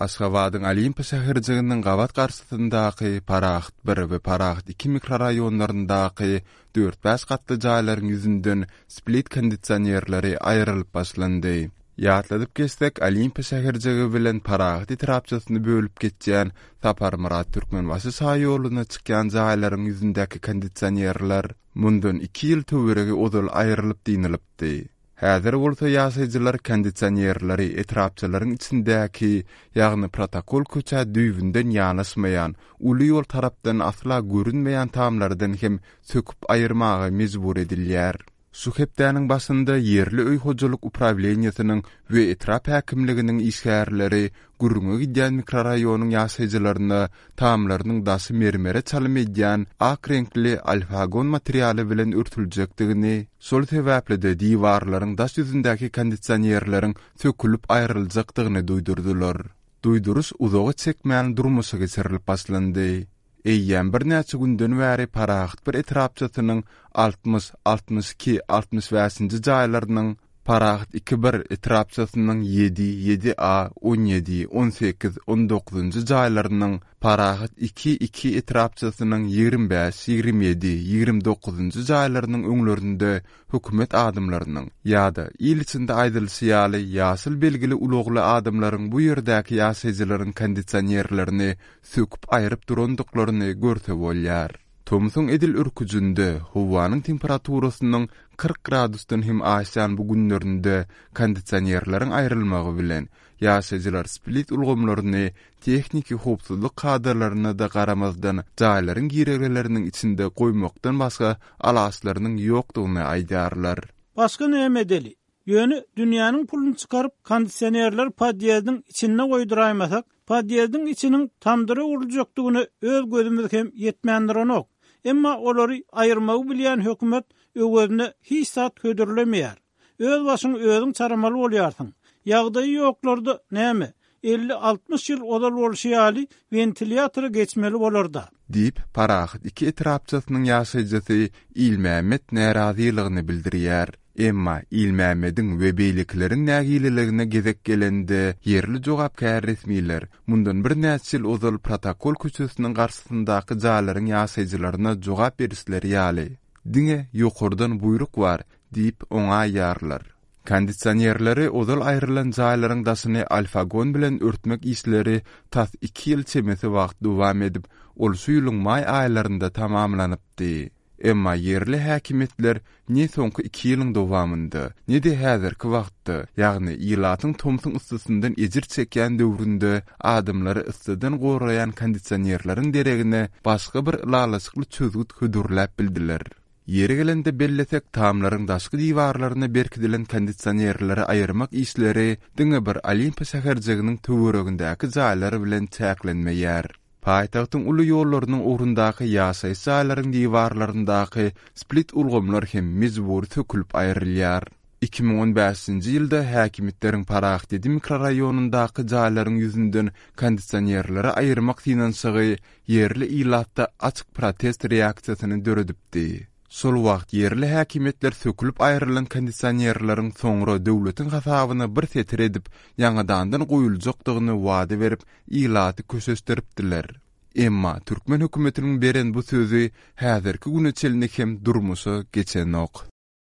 Aşgabadyň Olimpiýa şäherjiginiň gabat garşysyndaky Parahat bir we Parahat iki mikroraýonlaryndaky dört-bäş gatly jaýlaryň ýüzünden split kondisionerleri aýrylyp başlandy. Ýatladyp geçsek, Olimpiýa şäherjigi bilen Parahat etrapçasyny bölüp geçýän Saparmyrat Türkmenbaşy şaýoluna çykýan jaýlaryň ýüzündäki kondisionerler mundan iki ýyl töweregi ozal aýrylyp dynylypdy. Häzir bolsa ýaşaýjylar kondisionerleri etrapçalaryň içindäki, ýagny protokol köçä düýbünden ýanaşmaýan, uly ýol tarapdan asla görünmeýän tamlardan hem söküp aýyrmaga mejbur edilýär. Şu hepdäniň başynda ýerli öý hojalyk uprawleniýesiniň we etrap häkimliginiň işgärleri gürrüňi gidýän mikroraýonyň ýaşaýjylaryna tamlarynyň daşy mermere çalym edýän ak reňkli alfagon materialy bilen örtüljekdigini, şol sebäpli-de diwarlaryň daş ýüzündäki kondisionerleriň sökülip aýryljakdygyny duýdurdylar. Duýduryş uzaga çekmän durmuşa geçirilip başlandy. Eýýäm birnäçe günden bäri Parahat bir etrapçasynyň 60, 62, 65-nji jaýlarynyň, Parahat iki bir etrapçasynyň ýedi, ýedi A, 17, 18, 19-njy jaýlarynyň, Parahat iki, iki etrapçasynyň 25, 27, 29-njy jaýlarynyň öňlerinde hökümet adamlarynyň ýa-da, il içinde aýdylyşy ýaly, ýaşyl belgili ulagly adamlaryň bu ýerdäki ýaşaýjylaryň kondisionerlerini söküp aýryp durandyklaryny görse bolýar. Tomsuň edil örküjinde, howanyň temperaturasynyň 40 gradusdan hem aşýan bu günlerinde kondisionerleriň aýrylmagy bilen, ýaşaýjylar split ulgamlaryny tehniki howpsuzlyk kadalaryna-da garamazdan jaýlaryň girelgeleriniň içinde goýmakdan başga alaçlarynyň ýokdugyny aýdýarlar. Başga näme edeli? Ýöne dünýäniň puluny çykaryp kondisionerleri podýezdiň içinde goýduraýmasak, podýezdiň içiniň tamdyra öwrüljekdigine öz gözümiz hem ýetmän duranok. Emma olary aýyrmagy bilýän hökümet öwezine hiç zat hödürlemeýär. Öz başyňy özüň çaramaly bolýarsyň. Ýagdaýy ýoklarda näme, 50-60 ýyl ozal bolşy ýaly wentilýatora geçmeli bolar-da. Diýip, Parahat iki etrapçasynyň ýaşaýjysy Ilmämmet närazylygyny bildirýär. Emma Ilmämmediň we beýlekileriň nägileligine gezek gelende, ýerli jogapkär resmiler mundan birnäçe ýyl ozal Protokol köçesiniň garşysyndaky jaýlaryň ýaşaýjylaryna jogap berişleri ýaly, diňe ýokardan buýruk bar diýip oňaýýarlar. Kondisionerleri ozal aýrylan jaýlaryň daşyny alfagon bilen örtmek işleri tas iki ýyl çemesi wagt dowam edip, ol şu ýylyň maý aýlarynda tamamlanypdy. Emma ýerli häkimiýetler ne soňky iki ýylyň dowamynda, ne-de häzirki wagtda, ýagny ilatyň tomsuň yssysyndan ejir çekýän döwründe adamlary yssydan goraýan kondisionerleriň deregine başga bir ylalaşykly çözgüt hödürläp bildiler. Ýeri gelende bellesek, tamlaryň daşky diwarlaryna berkidilen kondisionerleri aýyrmak işleri diňe bir Olimpiýa şäherjiginiň töweregindäki jaýlar bilen çäklenmeýär. Paýtagtyň uly ýollarynyň ugrundaky ýaşaýyş jaýlaryň diwarlaryndaky split ulgamlar hem mejbury sökülip aýrylýar. 2015-nji ýylda häkimiýetleriň Parahat ýedi mikroraýonyndaky jaýlaryň ýüzünden kondisionerleri aýyrmak synanyşygy ýerli ilatda açyk protest reaksiýasyny döredipdi. Şol wagt ýerli häkimiýetler sökülip aýrylan kondisionerleriň soňra döwletiň hasabyna bir setir edip, ýaňadandan goýuljakdygyny wada berip, ilaty köşeşdiripdiler. Emma türkmen hökümetiniň beren bu sözi häzirki güne çenli hem durmuşa geçenok.